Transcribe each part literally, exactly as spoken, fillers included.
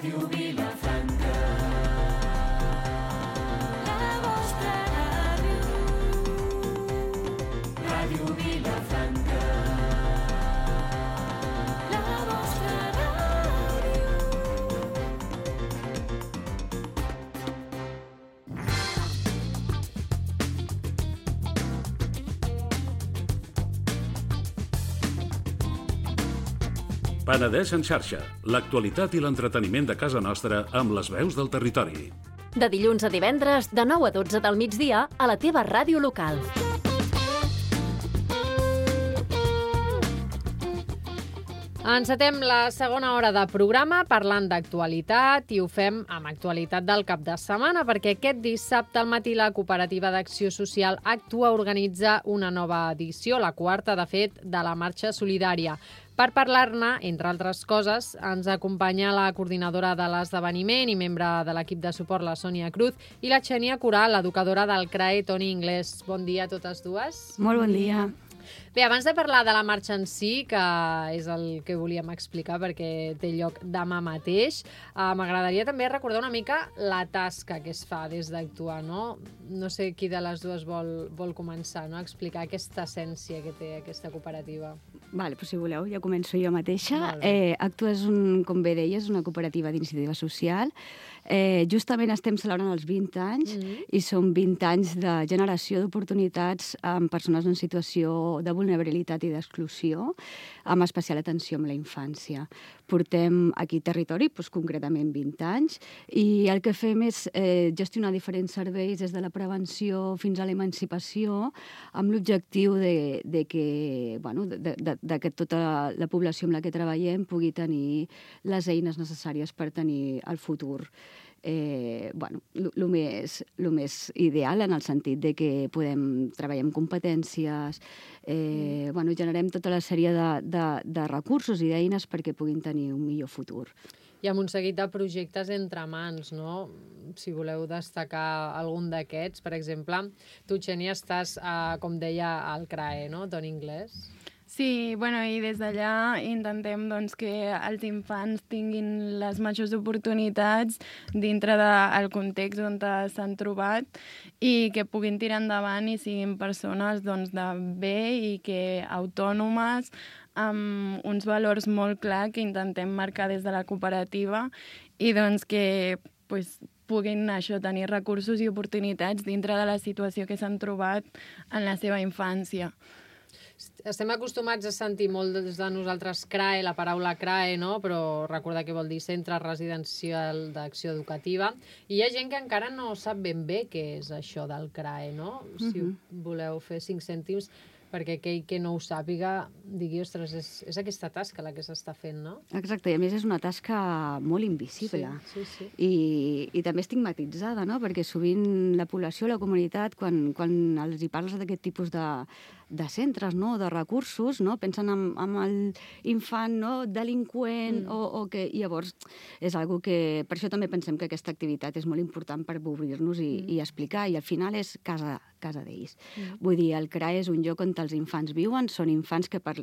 Ràdio Vilafranca. La vostra ràdio. Ràdio Vilafranca. La vostra ràdio. Penedès en xarxa, l'actualitat i l'entreteniment de casa nostra amb les veus del territori. De dilluns a divendres, de nou a dotze del migdia, a la teva ràdio local. Encetem la segona hora de programa parlant d'actualitat i ho fem amb actualitat del cap de setmana perquè aquest dissabte al matí la Cooperativa d'Acció Social Actua organitza una nova edició, la quarta, de fet, de la Marxa Solidària. Per parlar-ne, entre altres coses, ens acompanya la coordinadora de l'esdeveniment i membre de l'equip de suport, la Sònia Cruz, i la Xènia Coral, l'educadora del C R A E Toni Inglés. Bon dia a totes dues. Molt bon dia. Bé, abans de parlar de la marxa en si, que és el que volíem explicar perquè té lloc demà mateix, eh, m'agradaria també recordar una mica la tasca que es fa des d'Actua, no? No sé qui de les dues vol, vol començar, no? A explicar aquesta essència que té aquesta cooperativa. Vale, però si voleu, ja començo jo mateixa. Vale. Eh, Actua és, un, com bé deies, una cooperativa d'iniciativa social. Eh, justament estem celebrant els vint anys mm-hmm. i són vint anys de generació d'oportunitats amb persones en situació de vulnerabilitat i d'exclusió, amb especial atenció amb la infància. Portem aquí territori, doncs, concretament vint anys, i el que fem és eh, gestionar diferents serveis des de la prevenció fins a l'emancipació, amb l'objectiu de, de que, bueno, de, de, de que tota la població amb la que treballem pugui tenir les eines necessàries per tenir el futur Eh, bueno, el més, lo més ideal en el sentit de que podem treballar amb competències, eh, bueno, generem tota la sèrie de, de, de recursos i d'eines perquè puguin tenir un millor futur. I amb un seguit de projectes entre mans, no? Si voleu destacar algun d'aquests, per exemple, tu, Xènia, estàs, eh, com deia, al C R A E, no? Toni Inglés. Sí, bueno, i des d'allà intentem doncs, que els infants tinguin les majors oportunitats dintre del context on s'han trobat i que puguin tirar endavant i siguin persones doncs, de bé i que autònomes, amb uns valors molt clars que intentem marcar des de la cooperativa i doncs, que pues, puguin això, tenir recursos i oportunitats dintre de la situació que s'han trobat en la seva infància. Estem acostumats a sentir molt des de nosaltres C R A E, la paraula C R A E, no? Però recordar què vol dir Centre Residencial d'Acció Educativa. I hi ha gent que encara no sap ben bé què és això del C R A E, no? Si mm-hmm. voleu fer cinc cèntims perquè aquell que no ho sàpiga digui, ostres, és, és aquesta tasca la que s'està fent, no? Exacte, i a més és una tasca molt invisible sí, sí, sí. I, i també estigmatitzada, no? Perquè sovint la població, la comunitat, quan, quan els hi parles d'aquest tipus de, de centres, no? De recursos, no? Pensen en, en l'infant, no? Delinqüent, mm. o, o que llavors és algo que... Per això també pensem que aquesta activitat és molt important per obrir-nos i, mm. i explicar, i al final és casa, casa d'ells. Mm. Vull dir, el C R A E és un lloc on els infants viuen, són infants que per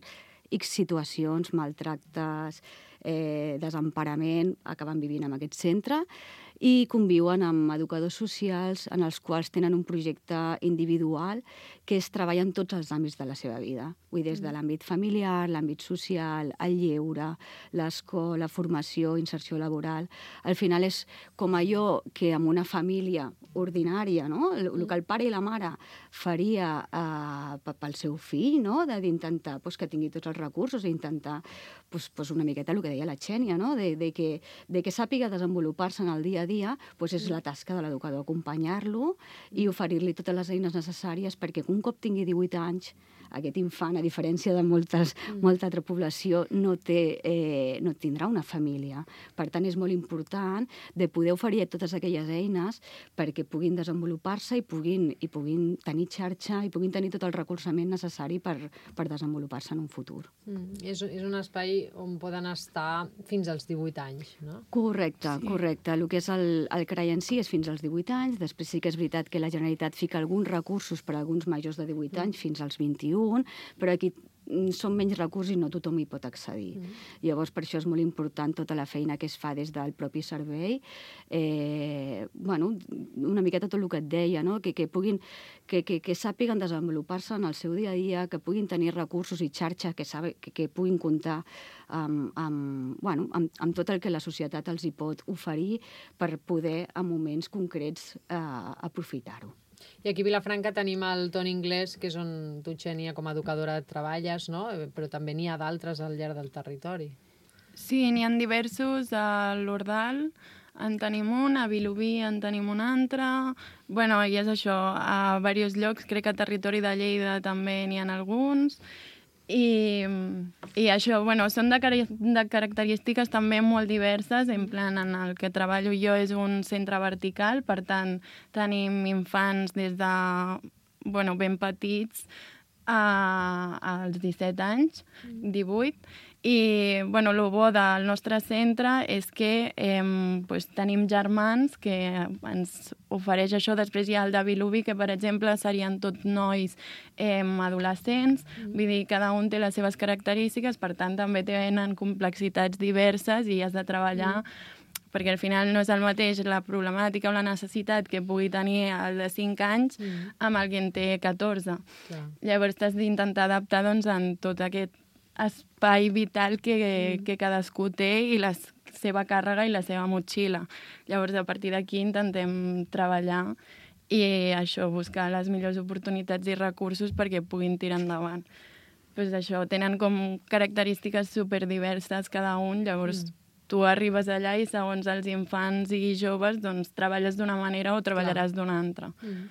X situacions, maltractes, eh, desemparament, acaben vivint en aquest centre i conviuen amb educadors socials en els quals tenen un projecte individual que es treballa en tots els àmbits de la seva vida. Vull dir, des de l'àmbit familiar, l'àmbit social, el lleure, l'escola, formació, inserció laboral. Al final és com allò que en una família ordinària, no? El, el que el pare i la mare faria eh, pel seu fill, no? D'intentar pues, que tingui tots els recursos i intentar pues, pues una miqueta el que deia la Xènia, no? de, de, que, de que sàpiga desenvolupar-se en el dia a dia, pues és la tasca de l'educador, acompanyar-lo i oferir-li totes les eines necessàries perquè un cop tingui divuit anys, aquest infant, a diferència de moltes, mm. molta altra població, no, té, eh, no tindrà una família. Per tant, és molt important de poder oferir totes aquelles eines perquè puguin desenvolupar-se i puguin, i puguin tenir xarxa i puguin tenir tot el recolzament necessari per, per desenvolupar-se en un futur. Mm. És, és un espai on poden estar fins als divuit anys, no? Correcte, sí. correcte. El que és el, el C R A E en si és fins als divuit anys, després sí que és veritat que la Generalitat fica alguns recursos per a alguns majors de divuit anys, mm. fins als vint-i-un, però aquí són menys recursos i no tothom hi pot accedir. Mm. Llavors, per això és molt important tota la feina que es fa des del propi servei. Eh, bueno, una miqueta tot el que et deia, no? que, que, puguin, que, que, que sàpiguen desenvolupar-se en el seu dia a dia, que puguin tenir recursos i xarxa, que, sabe, que, que puguin comptar amb, amb, bueno, amb, amb tot el que la societat els hi pot oferir per poder, en moments concrets, eh, aprofitar-ho. I aquí a Vilafranca tenim el Ton Inglés, que és on tu, Xènia, com a educadora treballes, no? Però també n'hi ha d'altres al llarg del territori. Sí, n'hi ha diversos. A l'Ordal en tenim un, a Vilobí en tenim un altre. Bueno, i és això, a diversos llocs, crec que a territori de Lleida també n'hi ha alguns. I, i això, bueno, són de, car de característiques també molt diverses, en plan, en el que treballo jo és un centre vertical, per tant, tenim infants des de, bueno, ben petits a, als disset anys, divuit, i, bueno, el bo del nostre centre és que eh, pues, tenim germans que ens ofereix això. Després hi ha el de Vilobí, que, per exemple, serien tot nois eh, adolescents. Mm. Vull dir, cada un té les seves característiques, per tant, també tenen complexitats diverses i has de treballar mm. perquè al final no és el mateix la problemàtica o la necessitat que pugui tenir el de cinc anys mm. amb el que en té catorze. Clar. Llavors t'has d'intentar adaptar doncs, en tot aquest espai vital que, mm. que cadascú té i la seva càrrega i la seva motxilla. Llavors, a partir d'aquí intentem treballar i això, buscar les millors oportunitats i recursos perquè puguin tirar endavant. Pues això, tenen com característiques superdiverses cada un, llavors mm. tu arribes allà i segons els infants i joves doncs treballes d'una manera o treballaràs d'una altra. Mm.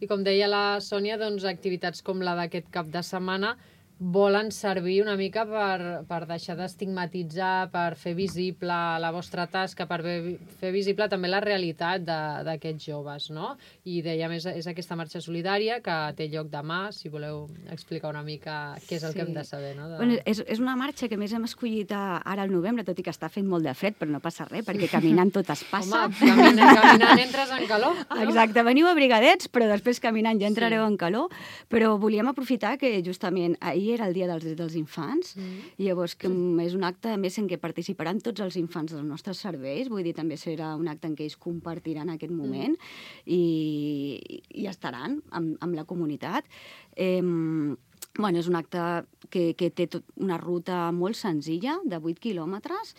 I com deia la Sònia, doncs activitats com la d'aquest cap de setmana volen servir una mica per, per deixar d'estigmatitzar, per fer visible la vostra tasca, per fer visible també la realitat d'aquests joves, no? I dèiem, és, és aquesta marxa solidària que té lloc demà, si voleu explicar una mica què és el sí. que hem de saber, no? De... Bueno, és, és una marxa que més hem escollit a, ara al novembre, tot i que està fent molt de fred, però no passa res, perquè caminant tot es passa. Home, caminant, caminant entres en calor. No? Exacte, veniu abrigadets, però després caminant ja entrareu sí. en calor. Però volíem aprofitar que justament ahir era el Dia dels Drets dels Infants, mm. i llavors que és un acte, a més, en què participaran tots els infants dels nostres serveis, vull dir, també serà un acte en què ells compartiran aquest moment mm. i, i estaran amb, amb la comunitat. Eh, bueno, és un acte que, que té tot una ruta molt senzilla, de vuit quilòmetres.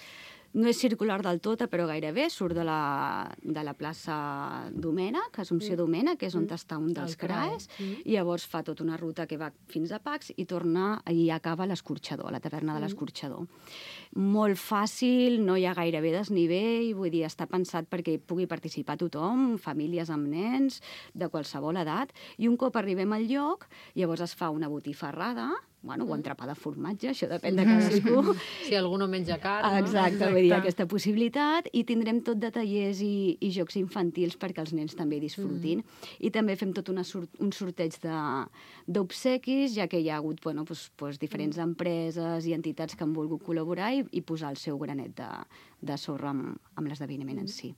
No és circular del tot, però gairebé. Surt de la, de la plaça Domènec, Assumpció mm. Domènec, que és on mm. està un dels C R A Es, mm. i llavors fa tota una ruta que va fins a Pacs i torna i acaba a l'Escorxador, a la taverna de l'Escorxador. Mm. Molt fàcil, no hi ha gairebé desnivell, vull dir, està pensat perquè pugui participar tothom, famílies amb nens, de qualsevol edat, i un cop arribem al lloc, llavors es fa una botifarrada, bueno, o entrepà de formatge, això depèn de cadascú. Si algú no menja carn, no? Exacte, Exacte. Vull dir, aquesta possibilitat, i tindrem tot de tallers i, i jocs infantils perquè els nens també disfrutin. Mm. I també fem tot una sort, un sorteig d'obsequis, ja que hi ha hagut bueno, pues, pues, diferents mm. empreses i entitats que han volgut col·laborar i, i posar el seu granet de, de sorra amb, amb l'esdeveniment mm. en si.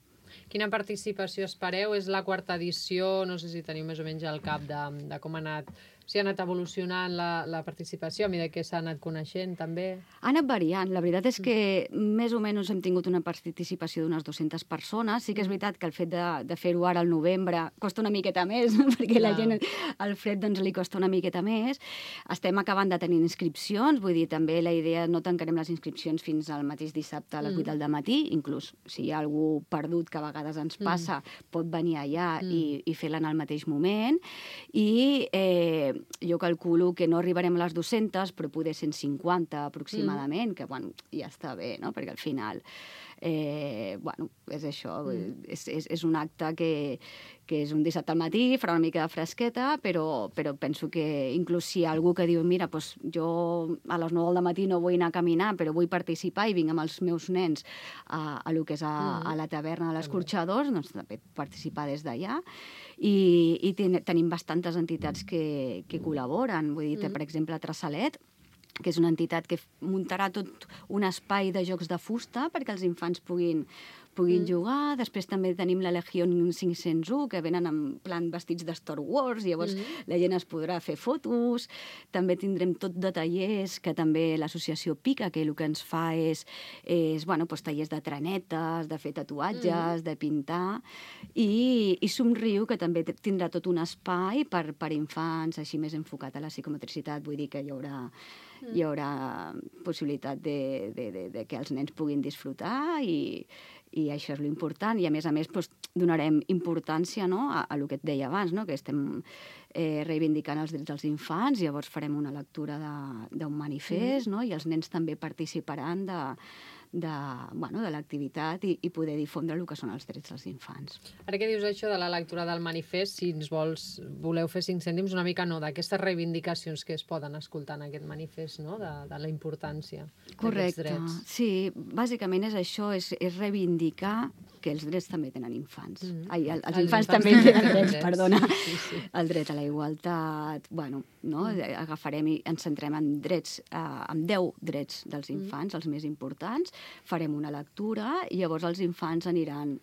Quina participació espereu? És la quarta edició, no sé si teniu més o menys al cap de, de com ha anat, si ha anat evolucionant la, la participació, a mesura que s'ha anat coneixent, també? Ha anat variant. La veritat és que mm. més o menys hem tingut una participació d'unes dues-centes persones. Sí que és veritat que el fet de, de fer-ho ara al novembre costa una miqueta més, perquè Clar. la gent, al fred, doncs, li costa una miqueta més. Estem acabant de tenir inscripcions, vull dir, també la idea, no tancarem les inscripcions fins al mateix dissabte a les vuit mm. del matí, inclús si hi ha algú perdut que a vegades ens passa, mm. pot venir allà mm. i, i fer-la en el mateix moment. I eh, jo calculo que no arribarem a les dues-centes, però poder cent cinquanta aproximadament, mm. que bueno, ja està bé, no? Perquè al final eh, bueno, és això, mm. és, és, és un acte que, que és un dissabte al matí, farà una mica de fresqueta, però, però penso que inclús si hi ha algú que diu mira, doncs jo a les nou del matí no vull anar a caminar, però vull participar i vinc amb els meus nens a, a lo que és a, mm. a la taverna de l'Escorxador, doncs també participar des d'allà. I, i ten, tenim bastantes entitats que, que col·laboren. Vull dir, mm. per exemple, Traçalet, que és una entitat que muntarà tot un espai de jocs de fusta perquè els infants puguin, puguin mm. jugar. Després també tenim la Legión cinc-cents u, que venen en plan vestits de Star Wars, llavors mm. la gent es podrà fer fotos. També tindrem tot de tallers, que també l'associació Pica, que el que ens fa és, és bueno, doncs, tallers de trenetes, de fer tatuatges, mm. de pintar, i, i Somriu, que també tindrà tot un espai per, per infants, així més enfocat a la psicomotricitat, vull dir que hi haurà, mm. hi haurà possibilitat de, de, de, de que els nens puguin disfrutar i, i això és l'important. I a més a més doncs, donarem importància, no, a, a el que et deia abans, no, que estem eh, reivindicant els drets dels infants, llavors farem una lectura d'un manifest, mm. no, i els nens també participaran de, de, bueno, de l'activitat i, i poder difondre el que són els drets dels infants. Ara que dius això de la lectura del manifest, si ens vols, voleu fer cinc cèntims, una mica no, d'aquestes reivindicacions que es poden escoltar en aquest manifest, no? de, de la importància d'aquests drets. Sí, bàsicament és això, és, és reivindicar que els drets també tenen infants. Mm. Ai, el, els, els infants, infants també tenen drets, drets, perdona. Sí, sí. El dret a la igualtat, bueno, no? Mm. Agafarem i ens centrem en drets, eh, en deu drets dels infants, mm. els més importants, farem una lectura i llavors els infants aniran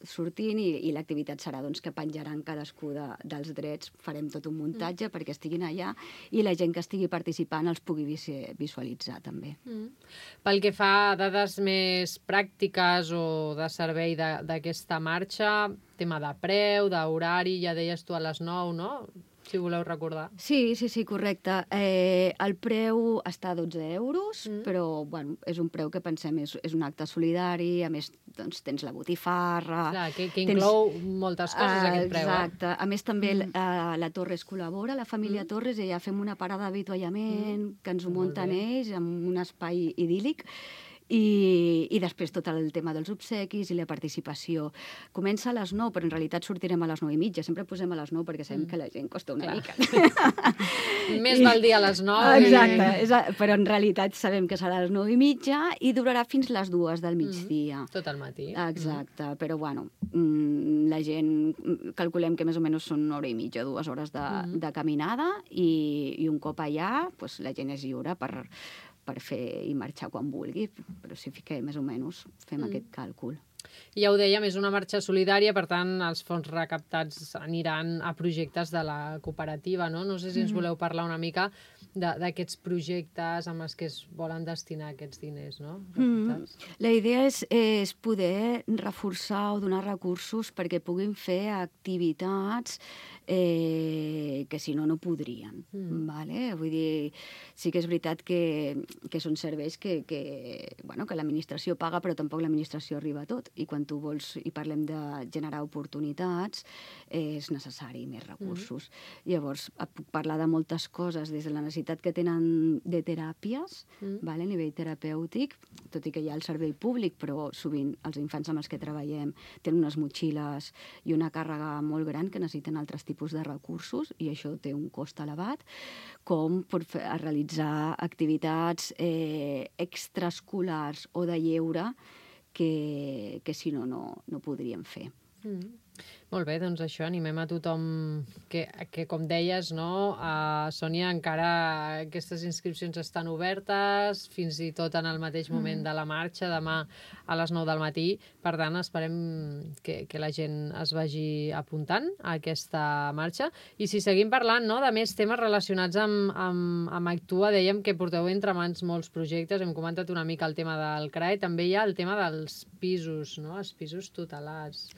sortint i, i l'activitat serà doncs, que penjaran cadascú de, dels drets, farem tot un muntatge mm. perquè estiguin allà i la gent que estigui participant els pugui visualitzar també. Mm. Pel que fa a dades més pràctiques o de servei d'aquesta marxa, tema de preu, d'horari, ja deies tu a les nou, no? Si voleu recordar. Sí, sí, sí, correcte. Eh, el preu està a dotze euros, mm. però bueno, és un preu que pensem és, és un acte solidari, a més doncs, tens la botifarra... Clar, que, que inclou tens... moltes coses uh, aquest preu. Exacte. Eh? A més també mm. uh, la Torres col·labora, la família mm. Torres, i ja fem una parada d'avituallament mm. que ens ho munten ells, amb un espai idíl·lic. I, i després tot el tema dels obsequis i la participació. Comença a les nou, però en realitat sortirem a les nou i mitja. Sempre posem a les nou perquè sabem mm. que la gent costa una Clar. mica. Més val dir a les nou. Exacte, és a, però en realitat sabem que serà a les nou i mitja i durarà fins les dues del migdia. Mm. Tot el matí. Exacte, mm. però bueno, la gent, calculem que més o menys són una hora i mitja, dues hores de, mm. de caminada i, i un cop allà pues, la gent és lliure per per fer i marxar quan vulgui, però si fiquem més o menys, fem mm. aquest càlcul. Ja ho dèiem, és una marxa solidària, per tant, els fons recaptats aniran a projectes de la cooperativa, no? No sé si ens voleu parlar una mica d'aquests projectes amb els que es volen destinar aquests diners, no? Mm. La idea és, és poder reforçar o donar recursos perquè puguin fer activitats eh, que si no, no podrien. Mm. Vale? Vull dir, sí que és veritat que, que són serveis que, que, bueno, que l'administració paga, però tampoc l'administració arriba a tot. I quan tu vols, i parlem de generar oportunitats, eh, és necessari més recursos. Mm. Llavors, puc parlar de moltes coses, des de la necessitat que tenen de teràpies, mm. vale, a nivell terapèutic, tot i que hi ha el servei públic, però sovint els infants amb els que treballem tenen unes motxilles i una càrrega molt gran que necessiten altres tipus de recursos i això té un cost elevat, com per fer, a realitzar activitats eh, extraescolars o de lleure que, que si no, no, no podríem fer. Mm. Molt bé, doncs això, animem a tothom que, que com deies, no, a Sònia, encara aquestes inscripcions estan obertes, fins i tot en el mateix moment mm. de la marxa, demà a les nou del matí. Per tant, esperem que, que la gent es vagi apuntant a aquesta marxa. I si seguim parlant, no, de més temes relacionats amb, amb, amb Actua, dèiem que porteu entre mans molts projectes, hem comentat una mica el tema del C R A E, també hi ha el tema dels pisos, no, els pisos tutelats.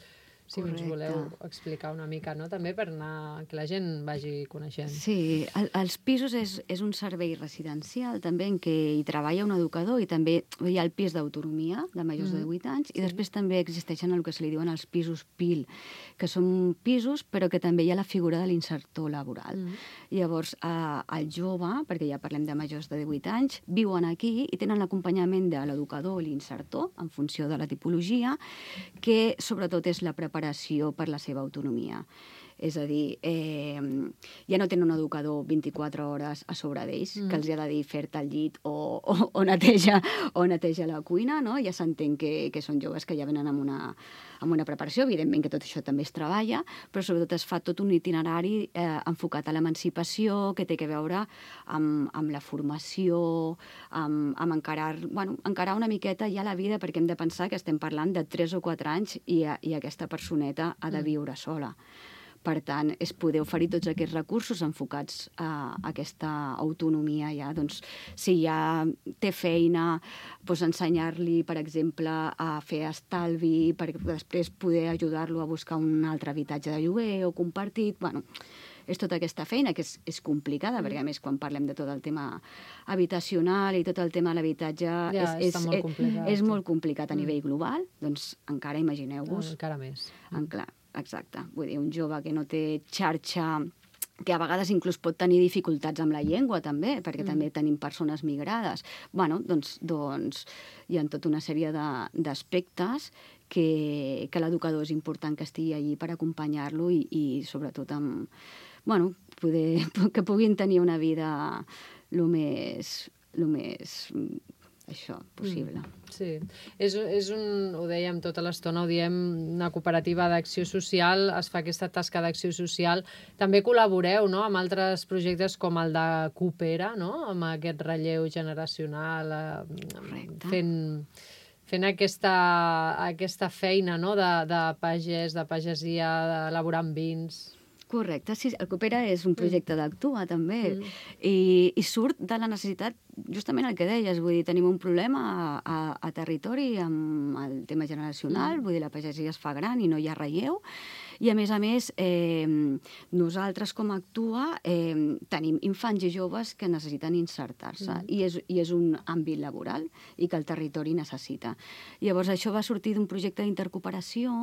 Si ens voleu explicar una mica, no? També per anar, que la gent vagi coneixent. Sí, el, els pisos és, és un servei residencial també en què hi treballa un educador i també hi ha el pis d'autonomia de majors mm. de divuit anys i sí. després també existeixen el que se li diuen els pisos P I L, que són pisos però que també hi ha la figura de l'insertor laboral. Mm. Llavors, eh, el jove, perquè ja parlem de majors de divuit anys, viuen aquí i tenen l'acompanyament de l'educador o l'insertor en funció de la tipologia, que sobretot és la preparació per la seva autonomia. És a dir, eh, ja no tenen un educador vint-i-quatre hores a sobre d'ells, mm. que els ha de dir fer-te el llit o, o, o, neteja, o neteja la cuina, no? Ja s'entén que, que són joves que ja venen amb una, amb una preparació, evidentment que tot això també es treballa, però sobretot es fa tot un itinerari eh, enfocat a l'emancipació, que té a veure amb, amb la formació, amb, amb encarar, bueno, encarar una miqueta ja la vida, perquè hem de pensar que estem parlant de tres o quatre anys i, i aquesta personeta ha de viure sola. Per tant, és poder oferir tots aquests recursos enfocats a aquesta autonomia ja. Doncs, si ja té feina, doncs ensenyar-li, per exemple, a fer estalvi, perquè després poder ajudar-lo a buscar un altre habitatge de lloguer o compartit. Bueno, és tota aquesta feina que és, és complicada, mm. perquè a més quan parlem de tot el tema habitacional i tot el tema de l'habitatge ja, és, és, molt complicat, és, és molt complicat a nivell global, doncs encara imagineu-vos. Encara més. En clar, exacte. Vull dir, un jove que no té xarxa, que a vegades inclús pot tenir dificultats amb la llengua també, perquè mm. també tenim persones migrades. Bueno, doncs, doncs hi ha tota una sèrie d'aspectes que, que l'educador és important que estigui allí per acompanyar-lo i, i sobretot amb, bueno, poder, que puguin tenir una vida el més, lo més això, possible. Mm, sí, és, és un, ho dèiem tota l'estona, ho diem, una cooperativa d'acció social, es fa aquesta tasca d'acció social. També col·laboreu, no?, amb altres projectes com el de Coopera, no?, amb aquest relleu generacional, eh, fent, fent aquesta, aquesta feina, no?, de, de pagès, de pagesia, d'elaborar vins. Correcte, sí, el Coopera és un projecte mm. d'Actua, també, mm. i, i surt de la necessitat, justament el que deies, vull dir, tenim un problema a, a, a territori amb el tema generacional, mm. vull dir, la pagesia es fa gran i no hi ha relleu, i a més a més, eh, nosaltres com a Actua eh, tenim infants i joves que necessiten insertar-se, mm. i, és, i és un àmbit laboral i que el territori necessita. Llavors, això va sortir d'un projecte d'intercooperació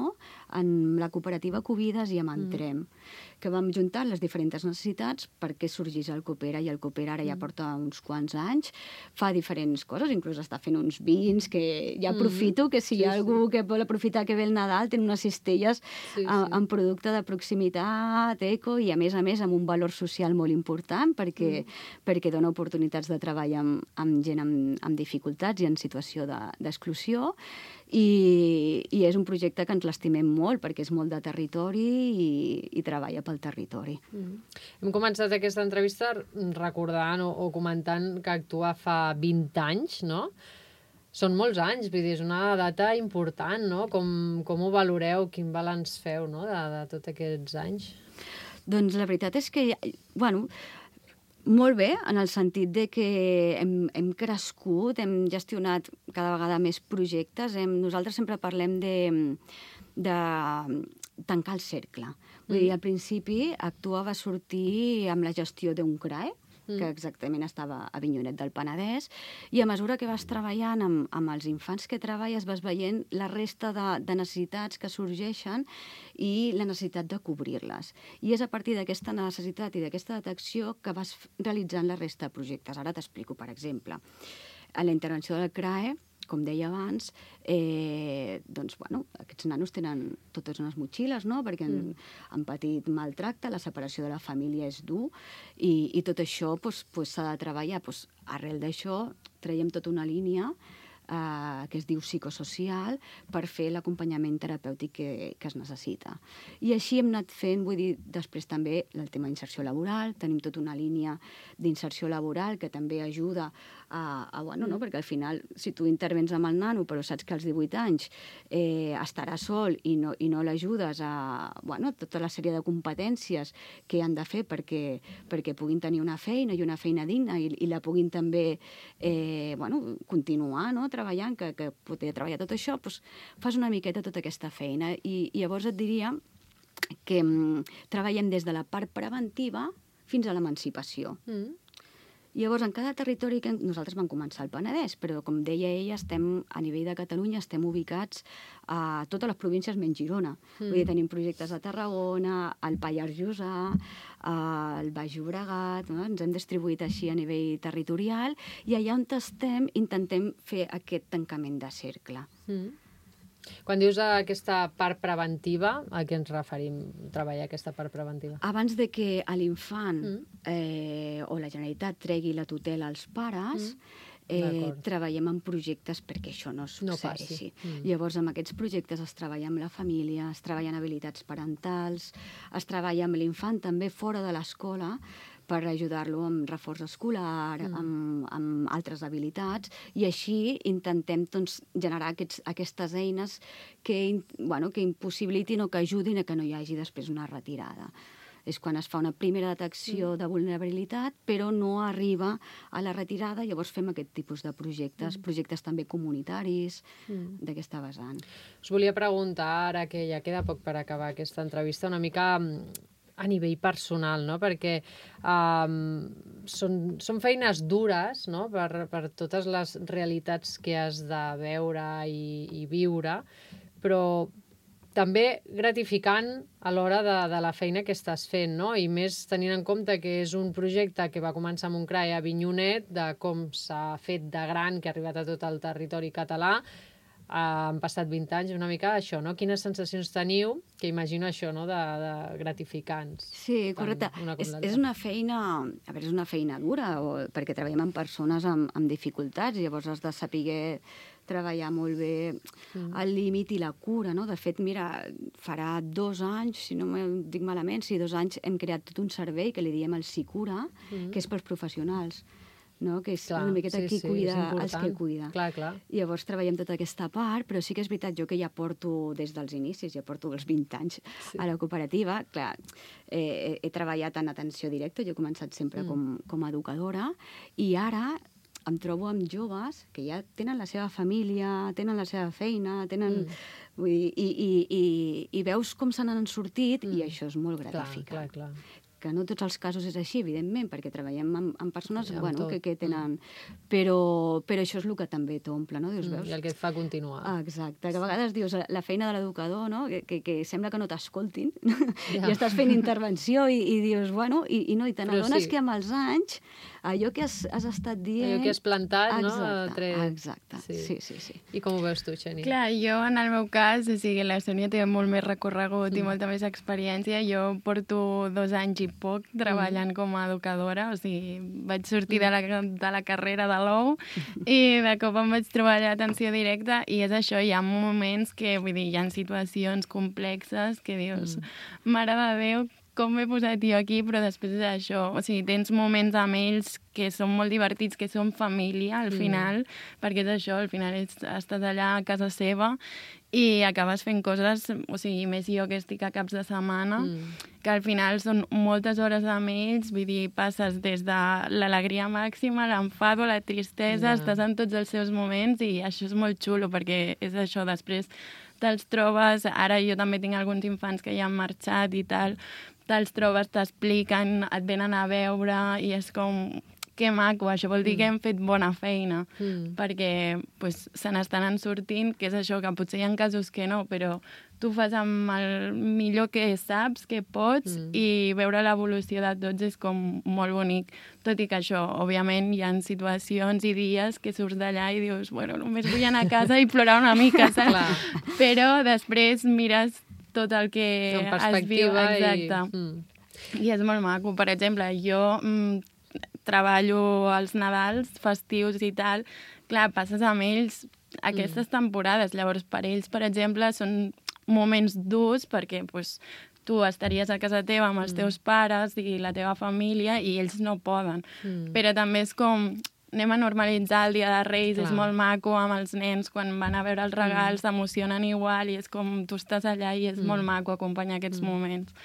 amb la cooperativa Covides i amb Entrem, mm. que vam juntar les diferents necessitats perquè sorgís el Coopera, i el Coopera ara ja porta uns quants anys, fa diferents coses, inclús està fent uns vins, que ja aprofito que si hi ha sí, algú sí. que vol aprofitar que ve el Nadal, té unes cistelles sí, sí. amb producte de proximitat, eco, i a més a més amb un valor social molt important perquè, mm. perquè dona oportunitats de treball amb, amb gent amb, amb dificultats i en situació d'exclusió, de, i, i és un projecte que ens l'estimem molt perquè és molt de territori i, i treballa pel territori. Mm. Hem començat aquesta entrevista recordant o, o comentant que Actua fa vint anys, no? Són molts anys, vull dir, és una data important, no? Com, com ho valoreu, quin balanç feu, no?, de, de tots aquests anys? Doncs la veritat és que, bueno, molt bé, en el sentit de que hem, hem crescut, hem gestionat cada vegada més projectes. Hem, nosaltres sempre parlem de, de tancar el cercle. Vull dir, al principi Actua va sortir amb la gestió d'un C R A E, que exactament estava a Avinyonet del Penedès, i a mesura que vas treballant amb, amb els infants que treballes vas veient la resta de, de necessitats que sorgeixen i la necessitat de cobrir-les. I és a partir d'aquesta necessitat i d'aquesta detecció que vas realitzant la resta de projectes. Ara t'explico, per exemple, a la intervenció del C R A E, com deia abans, eh, doncs, bueno, aquests nanos tenen totes unes motxilles, no?, perquè han, mm. han patit maltracte, la separació de la família és dur, i, i tot això pues, pues, s'ha de treballar. Pues, arrel d'això traiem tota una línia eh, que es diu psicosocial per fer l'acompanyament terapèutic que, que es necessita. I així hem anat fent, vull dir, després també el tema d'inserció laboral, tenim tota una línia d'inserció laboral que també ajuda a, a bueno, no? Perquè al final, si tu intervens amb el nano, però saps que als divuit anys eh, estarà sol i no, i no l'ajudes a, bueno, tota la sèrie de competències que han de fer perquè, perquè puguin tenir una feina i una feina digna i, i la puguin també eh, bueno, continuar, no? Treballant, que, que poder treballar tot això, doncs fas una miqueta tota aquesta feina. I, i llavors et diria que mm, treballem des de la part preventiva fins a l'emancipació. Mm. Llavors, en cada territori que nosaltres vam començar al Penedès, però com deia ella, estem a nivell de Catalunya, estem ubicats a totes les províncies menys Girona. Mm. Vull dir, tenim projectes a Tarragona, al Pallars Jussà, al Baix Llobregat, no? Ens hem distribuït així a nivell territorial i allà on estem intentem fer aquest tancament de cercle. Mm. Quan dius aquesta part preventiva, a què ens referim, treballar aquesta part preventiva? Abans de que a l'infant mm. eh, o la Generalitat tregui la tutela als pares, mm. Eh, treballem en projectes perquè això no succeeixi. No mm. Llavors, amb aquests projectes es treballa amb la família, es treballa en habilitats parentals, es treballa amb l'infant també fora de l'escola per ajudar-lo amb reforç escolar, mm. amb, amb altres habilitats, i així intentem doncs, generar aquests, aquestes eines que, bueno, que impossibilitin o que ajudin a que no hi hagi després una retirada. És quan es fa una primera detecció mm. de vulnerabilitat, però no arriba a la retirada, llavors fem aquest tipus de projectes, mm. projectes també comunitaris, mm. d'aquesta vessant. Us volia preguntar, ara que ja queda poc per acabar aquesta entrevista, una mica a nivell personal, no? Perquè um, són, són feines dures, no? per, per totes les realitats que has de veure i, i viure, però també gratificant a l'hora de, de la feina que estàs fent, no? I més tenint en compte que és un projecte que va començar amb un C R A E a Avinyonet, de com s'ha fet de gran, que ha arribat a tot el territori català. Uh, han passat vint anys, una mica això, no? Quines sensacions teniu, que imagino això, no?, de, de gratificants. Sí, correcte. Una és, és una feina, a veure, és una feina dura, o, perquè treballem amb persones amb, amb dificultats, llavors has de saber treballar molt bé mm. el límit i la cura, no? De fet, mira, farà dos anys, si no me dic malament, si dos anys hem creat tot un servei que li diem el Sicura, mm. que és pels professionals, no? Que és clar, una miqueta sí, qui sí, cuida els que cuida. Clar, clar. Llavors treballem tota aquesta part, però sí que és veritat, jo que ja porto des dels inicis, ja porto els vint anys sí. a la cooperativa, clar, eh, he treballat en atenció directa, jo he començat sempre mm. com, com a educadora, i ara em trobo amb joves que ja tenen la seva família, tenen la seva feina, tenen... Mm. Vull dir, i, i, i, i veus com se n'han sortit mm. i això és molt gratificant. Clar, clar, clar. Que no tots els casos és així, evidentment, perquè treballem amb, amb persones amb bueno, tot. que, que tenen... Però, però això és el que també t'omple, no? Dius, mm, veus? I el que et fa continuar. Ah, exacte, que a vegades dius la feina de l'educador, no? que, que, que sembla que no t'escoltin, ja. i estàs fent intervenció i, i dius, bueno, i, i no, i te n'adones sí. que amb els anys allò que has, has estat dient... Allò que has plantat, exacte, no? Tret... Exacte, sí. sí, sí, sí. I com ho veus tu, Xeni? Clar, jo en el meu cas, o sigui, la Sònia té molt més recorregut mm. i molta més experiència. Jo porto dos anys i poc treballant mm. com a educadora, o sigui, vaig sortir de la, de la carrera de l'O U i de cop em vaig treballar a atenció directa i és això, hi ha moments que, vull dir, hi ha situacions complexes que dius, mm. mare de Déu, com m'he posat jo aquí, però després és això. O sigui, tens moments amb ells que són molt divertits, que són família, al final, mm. perquè és això, al final ets, estàs allà a casa seva i acabes fent coses, o sigui, més jo que estic a caps de setmana, mm. que al final són moltes hores amb ells, vull dir, passes des de l'alegria màxima, l'enfado, la tristesa, yeah. estàs en tots els seus moments i això és molt xulo, perquè és això, després te'ls trobes, ara jo també tinc alguns infants que ja han marxat i tal, te'ls trobes, t'expliquen, et venen a veure i és com, que maco, això vol dir mm. que hem fet bona feina, mm. perquè pues, se n'estan sortint, que és això, que potser hi ha casos que no, però tu fas amb el millor que saps, que pots, mm. i veure l'evolució de tots és com molt bonic. Tot i que això, òbviament, hi ha situacions i dies que surts d'allà i dius, bueno, només vull anar a casa i plorar una mica, saps? Però després mires tot el que has vist. Exacte. I... Mm. I és molt maco. Per exemple, jo mm, treballo als Nadals, festius i tal. Clar, passes amb ells aquestes mm. temporades. Llavors, per ells, per exemple, són moments durs perquè pues, tu estaries a casa teva amb els mm. teus pares i la teva família i ells no poden. Mm. Però també és com... anem a normalitzar el Dia de Reis, clar. És molt maco amb els nens, quan van a veure els regals s'emocionen mm. igual i és com tu estàs allà i és mm. molt maco acompanyar aquests mm. moments.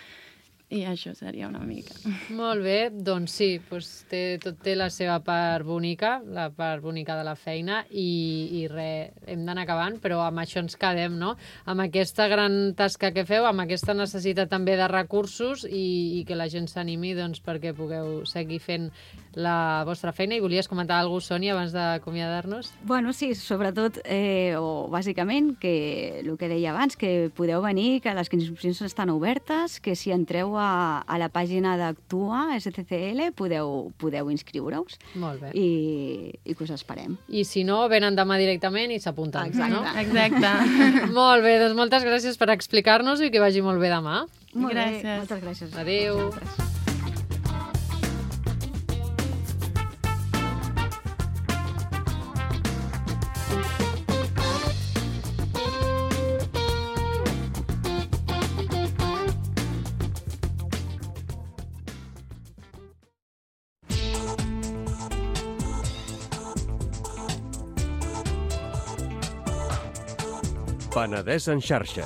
I això seria una mica. Molt bé, doncs sí, doncs té, tot té la seva part bonica, la part bonica de la feina i, i res, hem d'anar acabant, però amb això ens quedem, no? Amb aquesta gran tasca que feu, amb aquesta necessitat també de recursos i, i que la gent s'animi doncs, perquè pugueu seguir fent la vostra feina. I volies comentar alguna cosa, Sònia, abans d'acomiadar-nos? Bueno, sí, sobretot, eh, o bàsicament, que el que deia abans, que podeu venir, que les inscripcions estan obertes, que si entreu a, a la pàgina d'Actua, S C C L, podeu, podeu inscriure-us. Molt bé. I, i que us esperem. I si no, venen demà directament i s'apunten, Exacte. no? Exacte. Molt bé, doncs moltes gràcies per explicar-nos i que vagi molt bé demà. Molt Gràcies. bé, moltes gràcies. Adéu. Penedès en xarxa.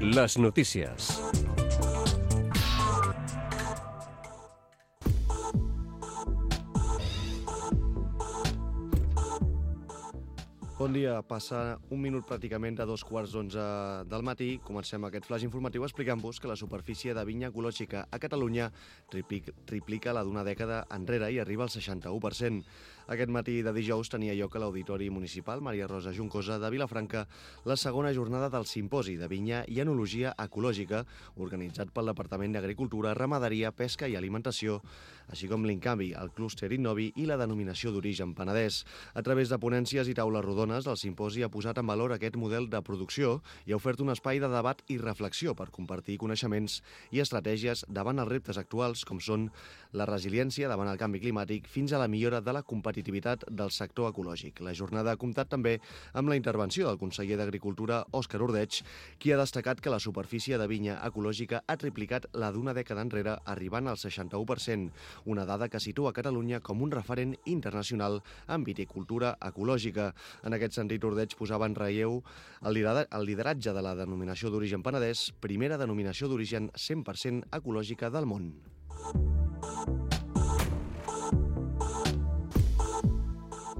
Les notícies. Bon dia. Passa un minut pràcticament de dos quarts d'onze del matí. Comencem aquest flash informatiu explicant-vos que la superfície de vinya ecològica a Catalunya triplica, triplica la d'una dècada enrere i arriba al seixanta-u per cent. Aquest matí de dijous tenia lloc a l'Auditori Municipal Maria Rosa Juncosa de Vilafranca la segona jornada del Simposi de Vinya i Enologia Ecològica organitzat pel Departament d'Agricultura, Ramaderia, Pesca i Alimentació, així com l'Incanvi, el clúster Innovi i la denominació d'origen Penedès. A través de ponències i taules rodones, el simposi ha posat en valor aquest model de producció i ha ofert un espai de debat i reflexió per compartir coneixements i estratègies davant els reptes actuals com són la resiliència davant el canvi climàtic fins a la millora de la competitivitat del sector ecològic. La jornada ha comptat també amb la intervenció del conseller d'Agricultura, Òscar Ordeig, qui ha destacat que la superfície de vinya ecològica ha triplicat la d'una dècada enrere, arribant al seixanta-u per cent, una dada que situa Catalunya com un referent internacional en viticultura ecològica. En aquest sentit, Ordeig posava en relleu el lideratge de la denominació d'origen Penedès, primera denominació d'origen cent per cent ecològica del món.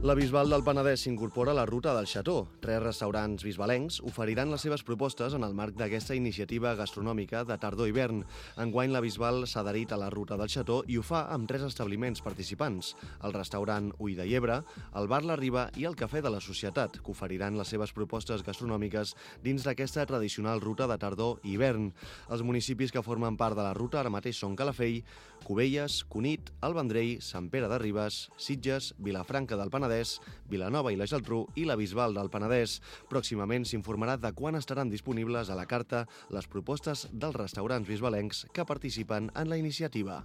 La Bisbal del Penedès s'incorpora a la ruta del Xató. Tres restaurants bisbalencs oferiran les seves propostes en el marc d'aquesta iniciativa gastronòmica de tardor-hivern. Enguany, la Bisbal s'ha adherit a la ruta del Xató i ho fa amb tres establiments participants: el restaurant Ull de Llebre, el bar La Riba i el Cafè de la Societat, que oferiran les seves propostes gastronòmiques dins d'aquesta tradicional ruta de tardor-hivern. Els municipis que formen part de la ruta ara mateix són Calafell, Cubelles, Cunit, El Vendrell, Sant Pere de Ribes, Sitges, Vilafranca del Penedès, Vilanova i la Geltrú i la Bisbal del Penedès. Pròximament s'informarà de quan estaran disponibles a la carta les propostes dels restaurants bisbalencs que participen en la iniciativa.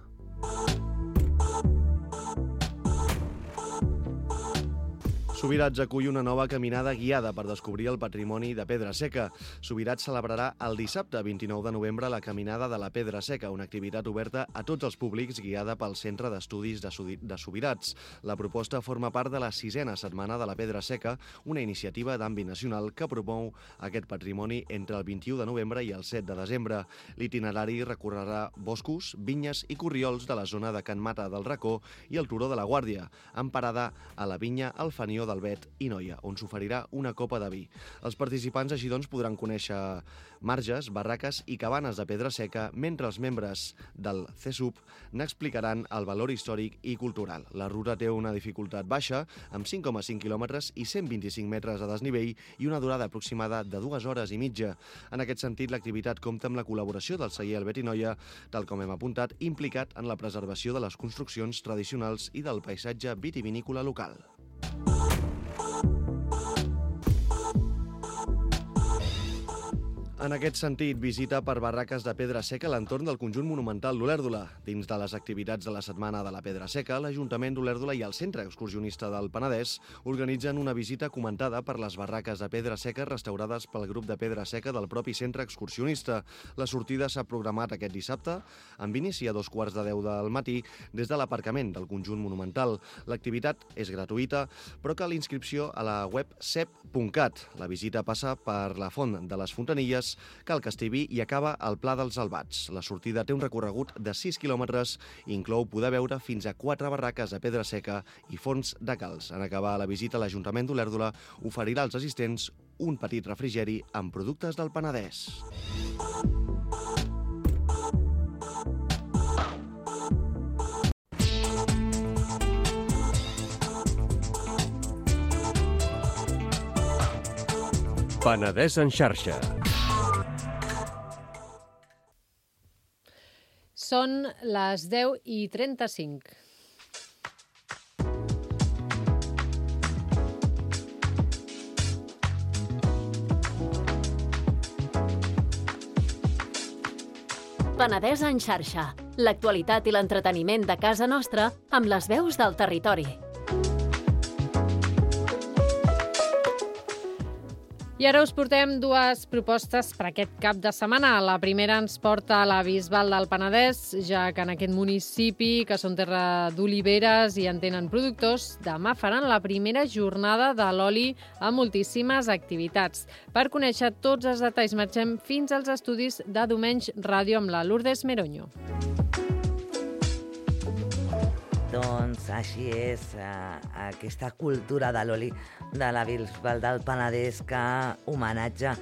Subirats acull una nova caminada guiada per descobrir el patrimoni de Pedra Seca. Subirats celebrarà el dissabte vint-i-nou de novembre la Caminada de la Pedra Seca, una activitat oberta a tots els públics guiada pel Centre d'Estudis de Subirats. La proposta forma part de la sisena setmana de la Pedra Seca, una iniciativa d'àmbit nacional que promou aquest patrimoni entre el vint-i-u de novembre i el set de desembre. L'itinerari recorrerà boscos, vinyes i corriols de la zona de Can Mata del Racó i el Turó de la Guàrdia, amb parada a la vinya El Fanió d'Albet i Noia, on s'oferirà una copa de vi. Els participants així doncs podran conèixer marges, barraques i cabanes de pedra seca, mentre els membres del C E S U P n'explicaran el valor històric i cultural. La ruta té una dificultat baixa, amb cinc coma cinc quilòmetres i cent vint-i-cinc metres de desnivell i una durada aproximada de dues hores i mitja. En aquest sentit, l'activitat compta amb la col·laboració del celler Albet i Noia, tal com hem apuntat, implicat en la preservació de les construccions tradicionals i del paisatge vitivinícola local. En aquest sentit, visita per barraques de pedra seca a l'entorn del conjunt monumental d'Olèrdola. Dins de les activitats de la Setmana de la Pedra Seca, l'Ajuntament d'Olèrdola i el Centre Excursionista del Penedès organitzen una visita comentada per les barraques de pedra seca restaurades pel grup de pedra seca del propi Centre Excursionista. La sortida s'ha programat aquest dissabte, amb inici a dos quarts de deu del matí, des de l'aparcament del conjunt monumental. L'activitat és gratuïta, però cal inscripció a la web sep punt cat. La visita passa per la Font de les Fontanilles, Cal Castellví i acaba al Pla dels Albats. La sortida té un recorregut de sis quilòmetres i inclou poder veure fins a quatre barraques de pedra seca i forns de calç. En acabar la visita, l'Ajuntament d'Olèrdola oferirà als assistents un petit refrigeri amb productes del Penedès. Penedès en xarxa. Són les deu i trenta-cinc. Penedès en xarxa. L'actualitat i l'entreteniment de casa nostra amb les veus del territori. I ara us portem dues propostes per aquest cap de setmana. La primera ens porta a la Bisbal del Penedès, ja que en aquest municipi, que són terra d'oliveres i en tenen productors, demà faran la primera jornada de l'oli amb moltíssimes activitats. Per conèixer tots els detalls, marxem fins als estudis de Domenys Ràdio amb la Lourdes Meroño. Doncs així és, eh, aquesta cultura de l'oli de la Bisbal del Penedès que homenatja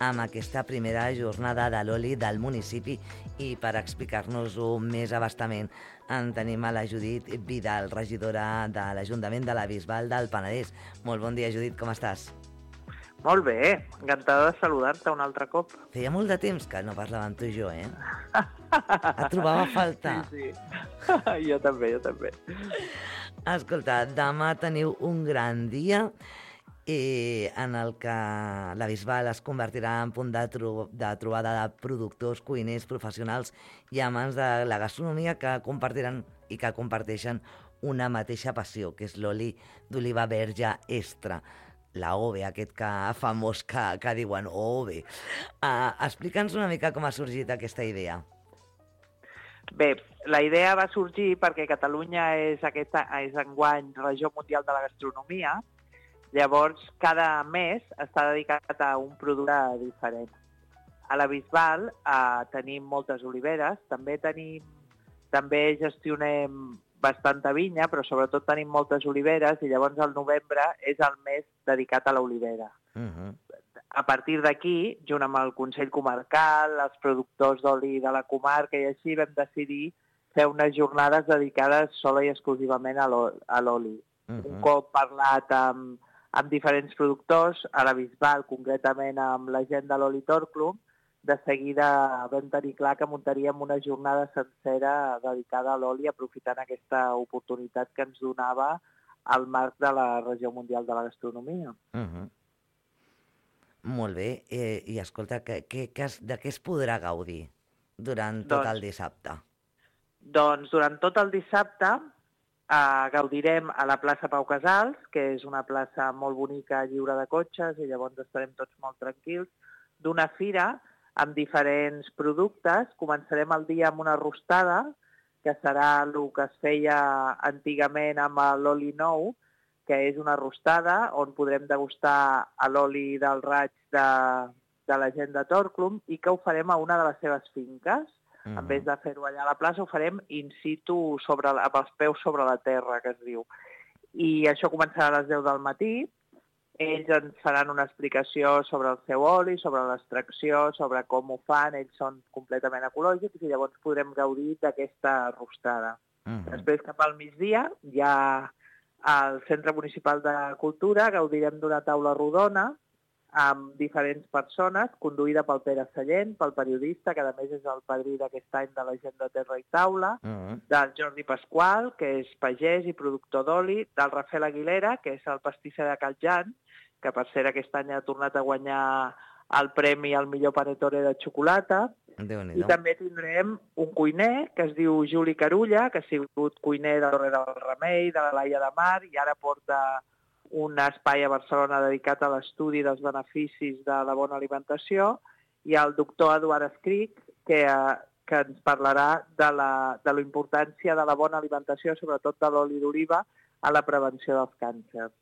amb aquesta primera jornada de l'oli del municipi, i per explicar-nos-ho més abastament en tenim a la Judit Vidal, regidora de l'Ajuntament de la Bisbal del Penedès. Molt bon dia, Judit, com estàs? Molt bé, encantada de saludar-te un altre cop. Feia molt de temps que no parlàvem tu i jo, eh? Et trobava a faltar. Sí, sí. Jo també, jo també. Escolta, demà teniu un gran dia i en el que la Bisbal es convertirà en punt de, tro de trobada de productors, cuiners, professionals i amants de la gastronomia que compartiran i que comparteixen una mateixa passió, que és l'oli d'oliva verge extra. La O V E, aquest que famós que, que diuen O V E. Uh, Explica'ns una mica com ha sorgit aquesta idea. Bé, la idea va sorgir perquè Catalunya és, aquesta, és enguany Regió Mundial de la Gastronomia. Llavors, cada mes està dedicat a un producte diferent. A la Bisbal eh, tenim moltes oliveres, també tenim, també gestionem bastanta vinya, però sobretot tenim moltes oliveres, i llavors el novembre és el mes dedicat a l'olivera. Uh-huh. A partir d'aquí, junt amb el Consell Comarcal, els productors d'oli de la comarca i així, vam decidir fer unes jornades dedicades sola i exclusivament a l'oli. Uh-huh. Un cop parlat amb, amb diferents productors, a la Bisbal, concretament amb la gent de l'Oli Torclum, de seguida vam tenir clar que muntaríem una jornada sencera dedicada a l'oli, aprofitant aquesta oportunitat que ens donava al marc de la Regió Mundial de la Gastronomia. Uh-huh. Molt bé. Eh, I escolta, que, que, que es, de què es podrà gaudir durant tot doncs, el dissabte? Doncs durant tot el dissabte eh, gaudirem a la plaça Pau Casals, que és una plaça molt bonica, lliure de cotxes, i llavors estarem tots molt tranquils, d'una fira amb diferents productes. Començarem el dia amb una rostada, que serà el que es feia antigament amb l'oli nou, que és una rostada on podrem degustar l'oli del raig de, de la gent de Torclum, i que ho farem a una de les seves finques. Mm-hmm. En vez de fer-ho allà a la plaça, ho farem in situ, sobre, amb els peus sobre la terra, que es diu. I això començarà a les deu del matí. Ells ens faran una explicació sobre el seu oli, sobre l'extracció, sobre com ho fan. Ells són completament ecològics i llavors podrem gaudir d'aquesta rostada. Uh-huh. Després, cap al migdia, ja al Centre Municipal de Cultura gaudirem d'una taula rodona amb diferents persones, conduïda pel Pere Sallent, pel periodista, que a més és el padrí d'aquest any de la gent de Terra i Taula, uh-huh. del Jordi Pasqual, que és pagès i productor d'oli, del Rafael Aguilera, que és el pastisser de Caljan, que per cert aquest any ha tornat a guanyar el premi al millor panetone de xocolata. I també tindrem un cuiner que es diu Juli Carulla, que ha sigut cuiner de Torre del Remei, de la Laia de Mar, i ara porta un espai a Barcelona dedicat a l'estudi dels beneficis de la bona alimentació, i el doctor Eduard Escric, que, que ens parlarà de la, de la importància de la bona alimentació, sobretot de l'oli d'oliva, a la prevenció dels càncers.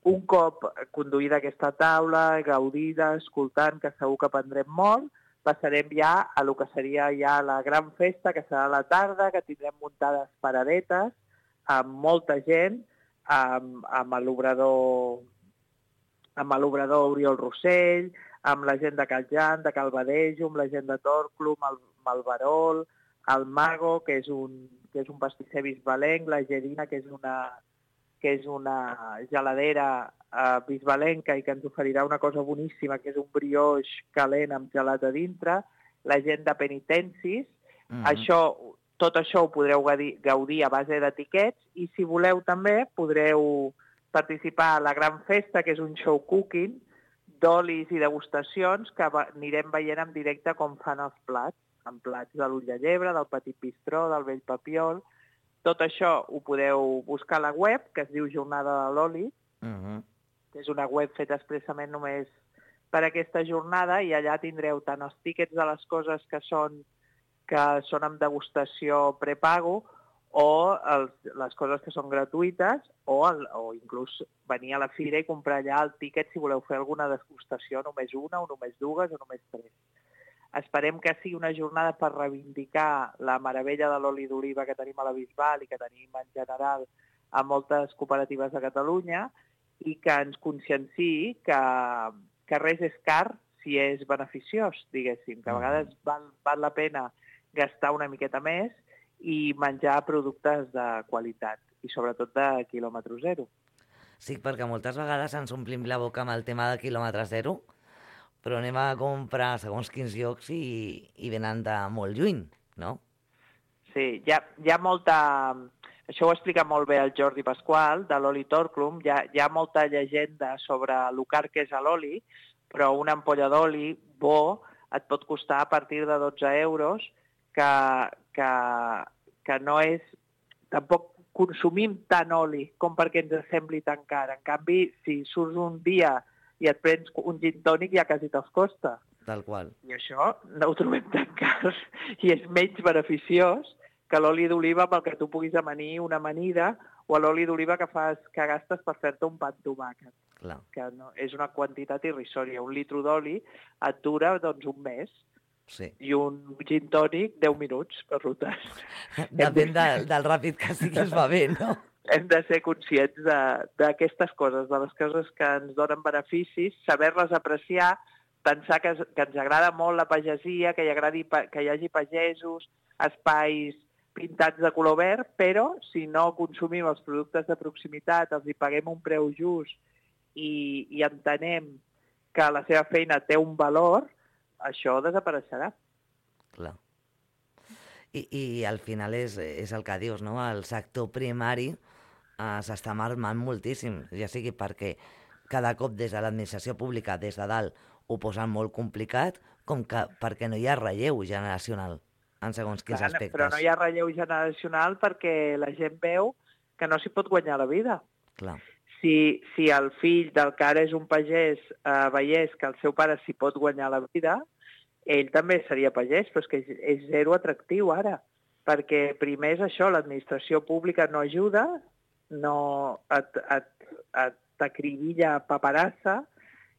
Un cop conduïda aquesta taula, gaudida, escoltant, que segur que aprendrem molt, passarem ja a lo que seria ja la gran festa, que serà a la tarda, que tindrem muntades paradetes amb molta gent, amb, amb l'obrador amb l'obrador Oriol Rossell, amb la gent de Caljan, de Calvadejo, amb la gent de Torclum, el, el Barol, el Mago, que és un, que és un pastisser bisbalenc, la Gerina, que és una, que és una geladera uh, bisbalenca i que ens oferirà una cosa boníssima, que és un brioix calent amb gelat a dintre, la gent de Penitencis. Mm-hmm. Això, tot això ho podreu gaudir a base d'etiquets i, si voleu també, podreu participar a la gran festa, que és un show cooking d'olis i degustacions que anirem veient en directe com fan els plats, amb plats de l'ull de llebre, del petit bistró, del vell papiol. Tot això ho podeu buscar a la web, que es diu Jornada de l'Oli, uh-huh. que és una web feta expressament només per aquesta jornada, i allà tindreu tant els tíquets de les coses que són, que són amb degustació prepago, o els, les coses que són gratuïtes, o, el, o inclús venir a la fira i comprar allà el tíquet si voleu fer alguna degustació, només una, o només dues, o només tres. Esperem que sigui una jornada per reivindicar la meravella de l'oli d'oliva que tenim a la Bisbal i que tenim en general a moltes cooperatives de Catalunya, i que ens conscienciï que, que res és car si és beneficiós, diguéssim, que a vegades val, val la pena gastar una miqueta més i menjar productes de qualitat, i sobretot de quilòmetre zero. Sí, perquè moltes vegades ens omplim la boca amb el tema de quilòmetre zero, però anem a comprar segons quins llocs i, i venen de molt lluny, no? Sí, hi ha, hi ha molta... Això ho explica molt bé el Jordi Pasqual, de l'Oli Torclum. Hi ha, hi ha molta llegenda sobre el car que és l'oli, però una ampolla d'oli bo et pot costar a partir de dotze euros, que, que, que no és... Tampoc consumim tant oli com perquè ens sembli tan car. En canvi, si surts un dia i et prens un gin tònic, ja quasi te'ls costa. Tal qual. I això no ho trobem tan car i és menys beneficiós que l'oli d'oliva pel que tu puguis amanir una amanida, o l'oli d'oliva que fas que gastes per fer-te un pa amb tomàquet. Clar. Que no, és una quantitat irrisòria. Un litro d'oli et dura doncs, un mes. Sí. I un gin tònic, deu minuts, per tant. Depèn de, del ràpid que siguis va bé, no? Hem de ser conscients d'aquestes coses, de les coses que ens donen beneficis, saber-les apreciar, pensar que, que ens agrada molt la pagesia, que hi, agradi, que hi hagi pagesos, espais pintats de color verd, però si no consumim els productes de proximitat, els hi paguem un preu just i, i entenem que la seva feina té un valor, això desapareixerà. Clar. I, i al final és, és el que dius, no? El sector primari eh, s'està marmant moltíssim, ja sigui perquè cada cop des de l'administració pública, des de dalt, ho posen molt complicat, com que perquè no hi ha relleu generacional en segons quins Clar, aspectes. Però no hi ha relleu generacional perquè la gent veu que no s'hi pot guanyar la vida. Clar. Si, si el fill del que ara és un pagès eh, veiés que el seu pare s'hi pot guanyar la vida, ell també seria pagès, però és que és, és zero atractiu ara, perquè primer és això, l'administració pública no ajuda, no et, et, et t'acribilla paperassa,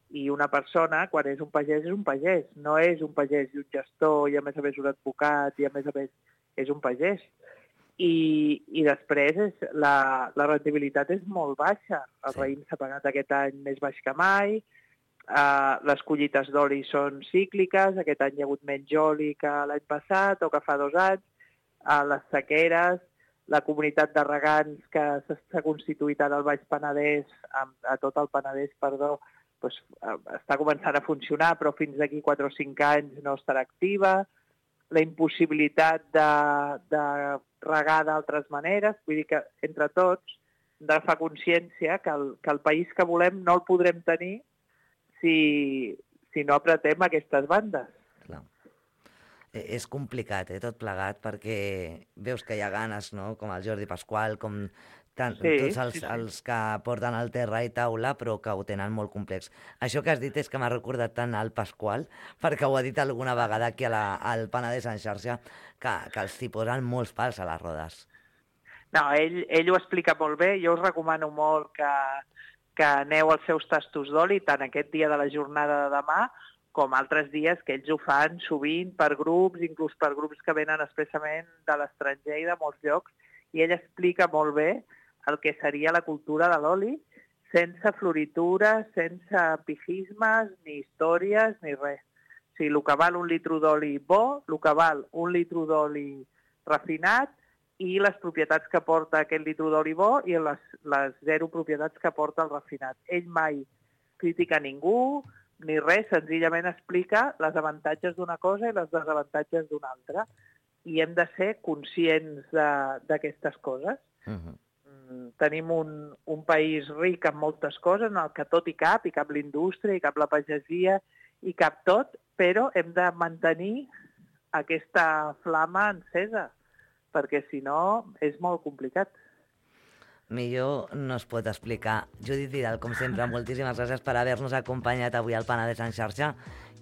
i una persona, quan és un pagès, és un pagès. No és un pagès i un gestor, i a més a més un advocat, i a més a més és un pagès. I, i després és, la, la rendibilitat és molt baixa. El sí. raïm s'ha pagat aquest any més baix que mai, uh, les collites d'oli són cícliques, aquest any hi ha hagut menys oli que l'any passat o que fa dos anys, uh, les sequeres, la comunitat de regants que s'ha constituït ara al Baix Penedès, a, a tot el Penedès, perdó, doncs, està començant a funcionar, però fins d'aquí quatre o cinc anys no estarà activa. La impossibilitat de, de regar d'altres maneres, vull dir que entre tots hem de fer consciència que el, que el país que volem no el podrem tenir si, si no apretem aquestes bandes. Clar. És complicat, eh, tot plegat, perquè veus que hi ha ganes, no?, com el Jordi Pasqual, com tant, sí, tots els, sí, sí. els que porten el terra i taula, però que ho tenen molt complex. Això que has dit és que m'ha recordat tant al Pasqual, perquè ho ha dit alguna vegada aquí a la, al Penedès en xarxa, que, que els hi posen molts pals a les rodes. No, ell, ell ho explica molt bé. Jo us recomano molt que, que aneu als seus tastos d'oli, tant aquest dia de la jornada de demà, com altres dies que ells ho fan sovint per grups, inclús per grups que venen expressament de l'estranger i de molts llocs, i ell explica molt bé el que seria la cultura de l'oli, sense floritures, sense pijismes, ni històries, ni res. O sigui, el que val un litro d'oli bo, el que val un litro d'oli refinat, i les propietats que porta aquest litro d'oli bo i les, les zero propietats que porta el refinat. Ell mai critica ningú ni res, senzillament explica les avantatges d'una cosa i les desavantatges d'una altra. I hem de ser conscients d'aquestes coses. Uh-huh. Tenim un, un país ric en moltes coses, en el que tot hi cap, hi cap l'indústria, hi cap la pagesia, hi cap tot, però hem de mantenir aquesta flama encesa, perquè si no és molt complicat. Millor no es pot explicar. Judit Vidal, com sempre, moltíssimes gràcies per haver-nos acompanyat avui al Penedès en xarxa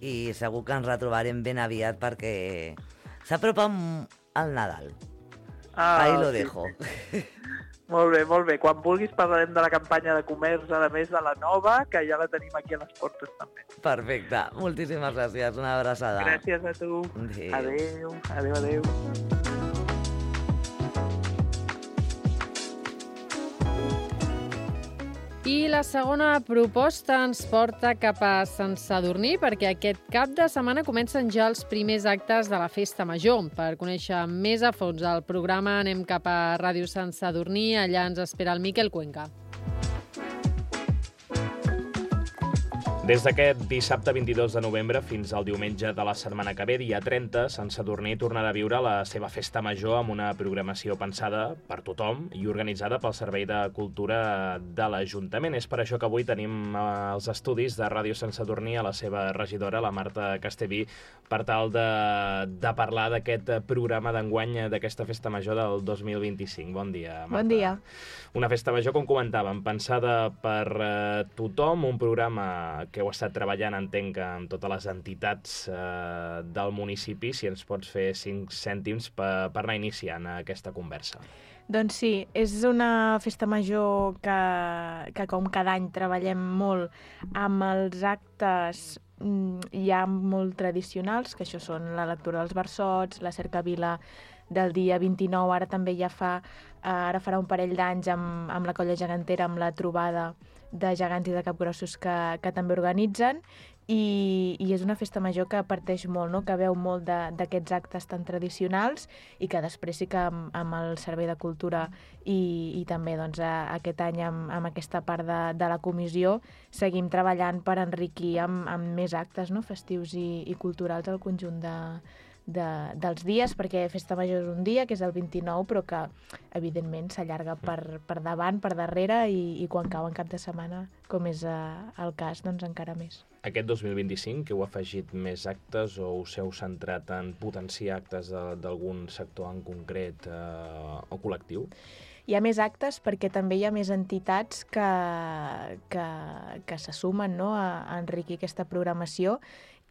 i segur que ens retrobarem ben aviat perquè s'apropa el Nadal. Ah, Ahí lo sí. dejo. Molt bé, molt bé. Quan vulguis parlarem de la campanya de comerç, a més de la nova, que ja la tenim aquí a les portes també. Perfecte. Moltíssimes gràcies. Una abraçada. Gràcies a tu. Adéu. Adéu, adéu. adéu. I la segona proposta ens porta cap a Sant Sadurní perquè aquest cap de setmana comencen ja els primers actes de la Festa Major. Per conèixer més a fons el programa anem cap a Ràdio Sant Sadurní. Allà ens espera el Miquel Cuenca. Des d'aquest dissabte vint-i-dos de novembre fins al diumenge de la setmana que ve, dia trenta, Sant Sadurní tornarà a viure la seva festa major amb una programació pensada per tothom i organitzada pel Servei de Cultura de l'Ajuntament. És per això que avui tenim els estudis de Ràdio Sant Sadurní a la seva regidora, la Marta Castellví, per tal de, de parlar d'aquest programa d'enguany d'aquesta festa major del dos mil vint-i-cinc. Bon dia, Marta. Bon dia. Una festa major, com comentàvem, pensada per eh, tothom, un programa que heu estat treballant, entenc, amb totes les entitats eh, del municipi. Si ens pots fer cinc cèntims per, per anar iniciant aquesta conversa. Doncs sí, és una festa major que, que com cada any treballem molt amb els actes ja molt tradicionals, que això són la lectura dels versots, la cercavila del dia vint-i-nou, ara també ja fa, ara farà un parell d'anys amb, amb la Colla Gegantera, amb la trobada de gegants i de capgrossos que, que també organitzen, i, i és una festa major que parteix molt, no? Que veu molt d'aquests actes tan tradicionals i que després sí que amb, amb el Servei de Cultura i, i també doncs, a, aquest any amb, amb aquesta part de, de la comissió seguim treballant per enriquir amb, amb més actes, no? Festius i, i culturals al conjunt de, de, dels dies, perquè Festa Major és un dia, que és el vint-i-nou, però que evidentment s'allarga per, per davant, per darrere, i, i quan cau en cap de setmana, com és eh, el cas, doncs encara més. Aquest dos mil vint-i-cinc, que heu afegit més actes o us heu centrat en potenciar actes d'algun sector en concret eh, o col·lectiu? Hi ha més actes perquè també hi ha més entitats que, que, que se sumen, no?, a, a enriquir aquesta programació,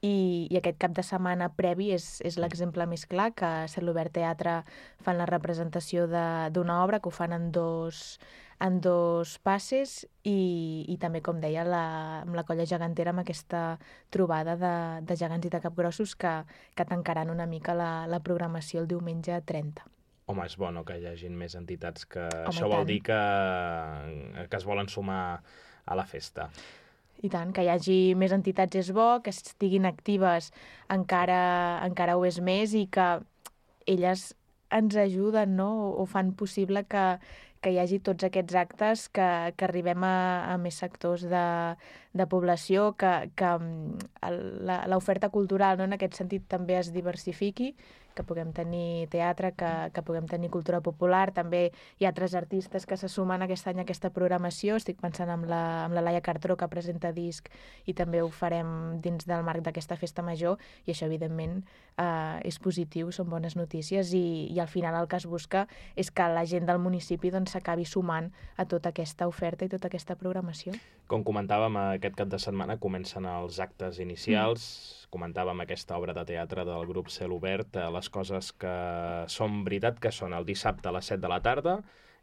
i, i aquest cap de setmana previ és, és l'exemple més clar, que a Celobert Teatre fan la representació d'una obra, que ho fan en dos, en dos passes, i, i també, com deia, la, amb la Colla Gegantera, amb aquesta trobada de, de gegants i de capgrossos que, que tancaran una mica la, la programació el diumenge trenta. Home, és bo, no?, que hi hagin més entitats que Home, això vol dir que, que es volen sumar a la festa. I tant, que hi hagi més entitats és bo, que estiguin actives encara, encara ho és més, i que elles ens ajuden, no?, o fan possible que, que hi hagi tots aquests actes, que, que arribem a, a més sectors de, de població, que, que l'oferta cultural, no?, en aquest sentit també es diversifiqui, que puguem tenir teatre, que, que puguem tenir cultura popular. També hi ha altres artistes que se sumen aquest any a aquesta programació. Estic pensant en la, en la Laia Cartró, que presenta disc, i també ho farem dins del marc d'aquesta festa major, i això, evidentment, eh, és positiu, són bones notícies, i, i al final el que es busca és que la gent del municipi doncs, s'acabi sumant a tota aquesta oferta i tota aquesta programació. Com comentàvem, aquest cap de setmana comencen els actes inicials. Mm. Comentàvem aquesta obra de teatre del grup Celobert, les coses que són veritat, que són el dissabte a les set de la tarda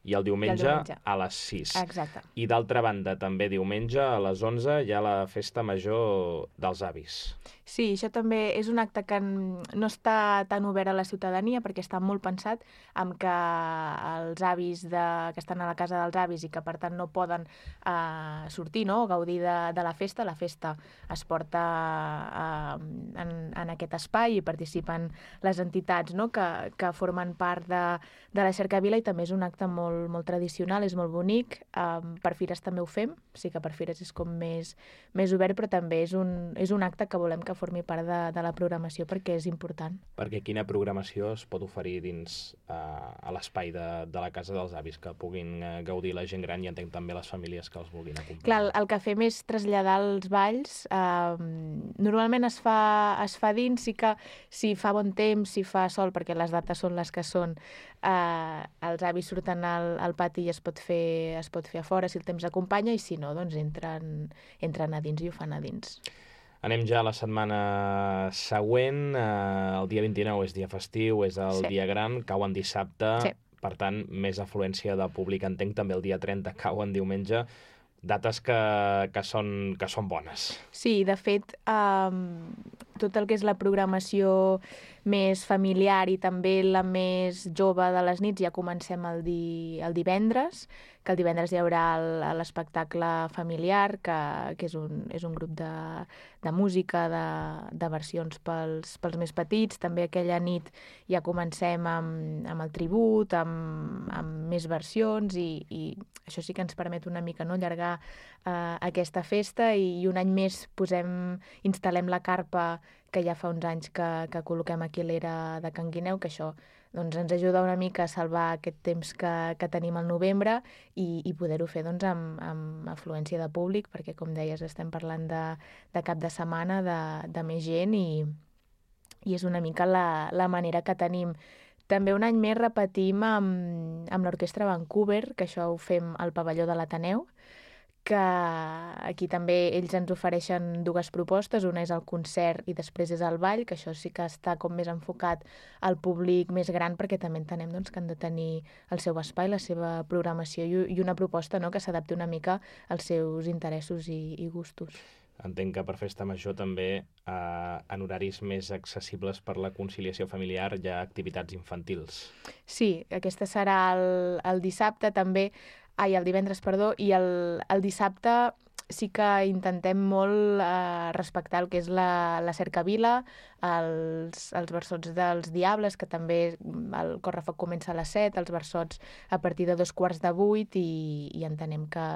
i el diumenge, I el diumenge. a les sis. Exacte. I d'altra banda, també diumenge a les onze hi ha la festa major dels avis. Sí, això també és un acte que no està tan obert a la ciutadania perquè està molt pensat en que els avis de, que estan a la casa dels avis i que per tant no poden eh, sortir, no? O gaudir de, de la festa. La festa es porta eh, en, en aquest espai i participen les entitats, no? que, que formen part de, de la cercavila i també és un acte molt, molt tradicional, és molt bonic. Eh, per Fires també ho fem, sí que per Fires és com més, més obert, però també és un, és un acte que volem que formi part de, de la programació perquè és important. Perquè quina programació es pot oferir dins eh, a l'espai de, de la casa dels avis que puguin eh, gaudir la gent gran i entenc també les famílies que els vulguin acompanyar? Clar, el, el que fem és traslladar els balls. Eh, normalment es fa, es fa dins, sí que si fa bon temps, si fa sol, perquè les dates són les que són, eh, els avis surten al, al pati i es pot, fer, es pot fer a fora si el temps acompanya i si no, doncs entren, entren a dins i ho fan a dins. Anem ja a la setmana següent. Eh, el dia vint-i-nou és dia festiu, és el Sí. dia gran, cau en dissabte, Sí. per tant, més afluència de públic. Entenc també el dia trenta cau en diumenge. Dates que, que, són, que són bones. Sí, de fet, um, tot el que és la programació més familiar i també la més jove de les nits ja comencem el, di, el divendres, que el divendres hi haurà l'espectacle familiar, que, que és, un, és un grup de, de música, de, de versions pels, pels més petits. També aquella nit ja comencem amb, amb el tribut, amb, amb més versions i, i això sí que ens permet una mica no, allargar eh, aquesta festa i, i un any més posem, instal·lem la carpa que ja fa uns anys que, que col·loquem aquí a l'era de Can Guineu, que això doncs, ens ajuda una mica a salvar aquest temps que, que tenim al novembre i, i poder-ho fer doncs, amb, amb afluència de públic, perquè, com deies, estem parlant de, de cap de setmana, de, de més gent i, i és una mica la, la manera que tenim. També un any més repetim amb, amb l'Orquestra Vancouver, que això ho fem al pavelló de l'Ateneu, que aquí també ells ens ofereixen dues propostes, una és el concert i després és el ball, que això sí que està com més enfocat al públic més gran perquè també entenem doncs, que han de tenir el seu espai, la seva programació i, i una proposta no, que s'adapti una mica als seus interessos i, i gustos. Entenc que per Festa Major també eh, en horaris més accessibles per la conciliació familiar hi ha activitats infantils. Sí, aquesta serà el, el dissabte també, ai, el divendres, perdó, i el, el dissabte sí que intentem molt eh, respectar el que és la, la cercavila, els, els versots dels Diables, que també el correfoc comença a les set, els versots a partir de dos quarts de vuit i, i entenem que,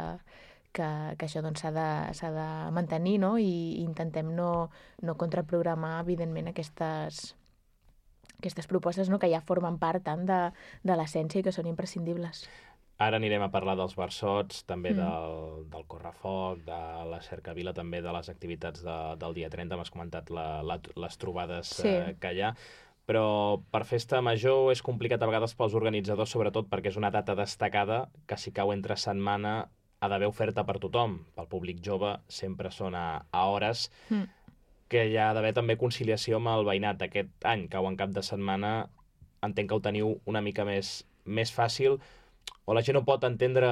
que, que això doncs, s'ha de, s'ha de mantenir, no? I, i intentem no, no contraprogramar, evidentment, aquestes, aquestes propostes no? que ja formen part tant de, de l'essència i que són imprescindibles. Ara anirem a parlar dels versots, també Mm. del, del correfoc, de la cercavila, també de les activitats de, del dia trenta. M'has comentat la, la, les trobades Sí. eh, que hi ha. Però per Festa Major és complicat a vegades pels organitzadors, sobretot perquè és una data destacada que si cau entre setmana ha d'haver oferta per tothom. Pel públic jove sempre són a, a hores, Mm. que hi ha d'haver també conciliació amb el veïnat. Aquest any cau en cap de setmana, entenc que ho teniu una mica més, més fàcil, o la gent ho pot entendre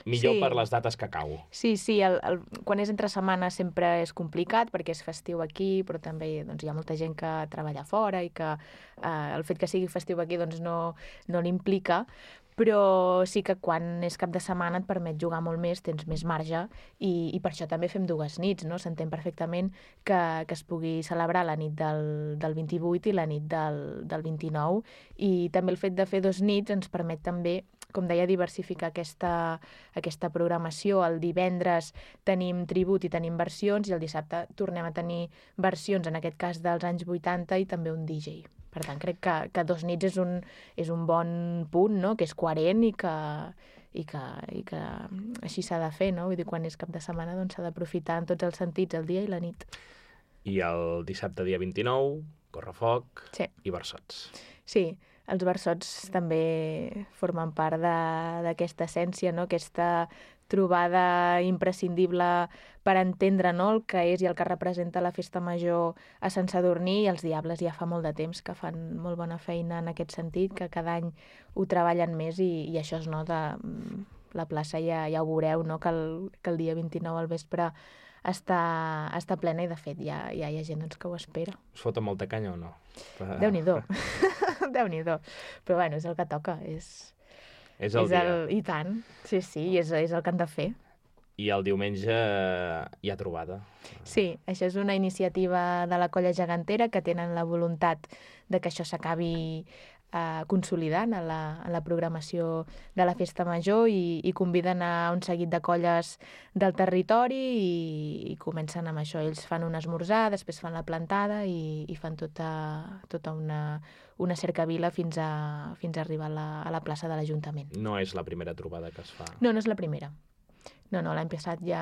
millor Sí. per les dates que cau. Sí, sí, el, el, quan és entre setmana sempre és complicat perquè és festiu aquí, però també doncs, hi ha molta gent que treballa fora i que eh, el fet que sigui festiu aquí doncs, no, no l'implica, però sí que quan és cap de setmana et permet jugar molt més, tens més marge i, i per això també fem dues nits, no? S'entén perfectament que, que es pugui celebrar la nit del, del vint-i-vuit i la nit del, del vint-i-nou i també el fet de fer dos nits ens permet també, com deia, diversificar aquesta, aquesta programació. El divendres tenim tribut i tenim versions i el dissabte tornem a tenir versions, en aquest cas dels anys vuitanta, i també un D J. Per tant, crec que, que dos nits és un, és un bon punt, no? Que és coherent i que, i que, i que així s'ha de fer, no? Vull dir, quan és cap de setmana doncs s'ha d'aprofitar en tots els sentits, el dia i la nit. I el dissabte dia vint-i-nou, correfoc Sí. i versots. Sí, els versots també formen part d'aquesta essència, no? Aquesta trobada imprescindible per entendre, no?, el que és i el que representa la festa major a Sant Sadurní, i els Diables ja fa molt de temps que fan molt bona feina en aquest sentit, que cada any ho treballen més i, i això es nota. La plaça ja, ja ho veureu, no?, que el, que el dia vint-i-nou al vespre està, està plena i, de fet, ja, ja hi ha gent doncs, que ho espera. Us foten molta canya o no? Per... Déu-n'hi-do. Déu-n'hi-do. Però bueno, és el que toca. És, és el és dia. El, I tant. Sí, sí, és, és el que han de fer. I el diumenge hi ha trobada. Sí, això és una iniciativa de la Colla Gegantera que tenen la voluntat de que això s'acabi eh, consolidant a la, a la programació de la Festa Major i, i conviden a un seguit de colles del territori i, i comencen amb això. Ells fan un esmorzar, després fan la plantada i, i fan tota, tota una, una cercavila fins a, fins a arribar a la, a la plaça de l'Ajuntament. No és la primera trobada que es fa. No, no és la primera. No, no, l'any passat ja,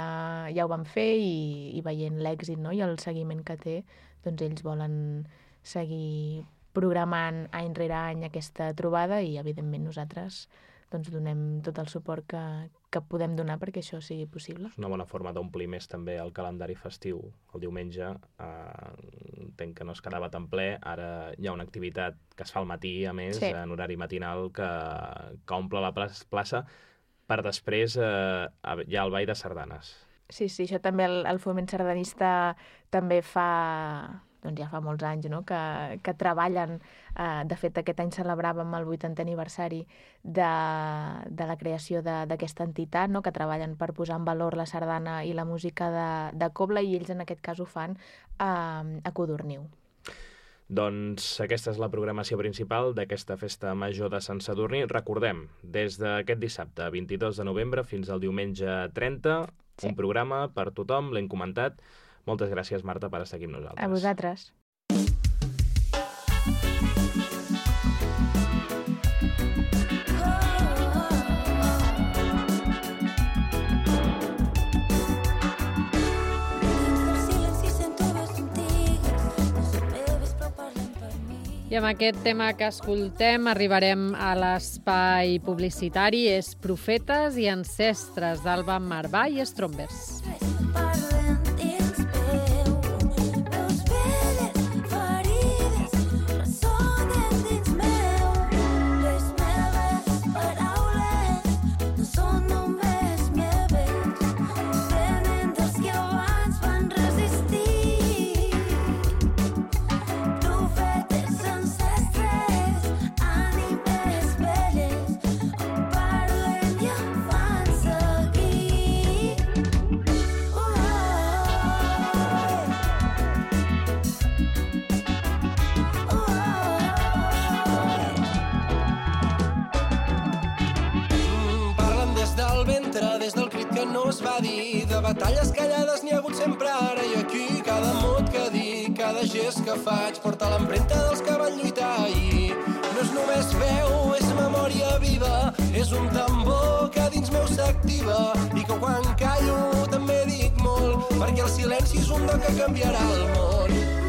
ja ho van fer i, i veient l'èxit, no?, i el seguiment que té, doncs ells volen seguir programant any rere any aquesta trobada i, evidentment, nosaltres doncs, donem tot el suport que, que podem donar perquè això sigui possible. És una bona forma d'omplir més també el calendari festiu. El diumenge eh, entenc que no es quedava tan ple, ara hi ha una activitat que es fa al matí, a més, sí. en horari matinal, que, que omple la plaça, per després eh, hi ha el ball de sardanes. Sí, sí, això també el, el foment sardanista també fa, doncs ja fa molts anys, no?, que, que treballen. Eh, de fet, aquest any celebràvem el vuitantè aniversari de, de la creació d'aquesta entitat, no?, que treballen per posar en valor la sardana i la música de, de cobla, i ells en aquest cas ho fan a, a Codorniu. Doncs aquesta és la programació principal d'aquesta festa major de Sant Sadurní. Recordem, des d'aquest dissabte vint-i-dos de novembre fins al diumenge trenta, sí. un programa per tothom, l'hem comentat. Moltes gràcies, Marta, per estar aquí amb nosaltres. A vosaltres. I amb aquest tema que escoltem arribarem a l'espai publicitari. És Profetes i Ancestres, d'Alba Marvà i Strombers. Va dir, de batalles callades n'hi ha hagut sempre ara i aquí. Cada mot que dic, cada gest que faig porta l'empremta dels que van lluitar ahir. No és només veu, és memòria viva, és un tambor que dins meu s'activa i que quan callo també dic molt, perquè el silenci és un do que canviarà el món.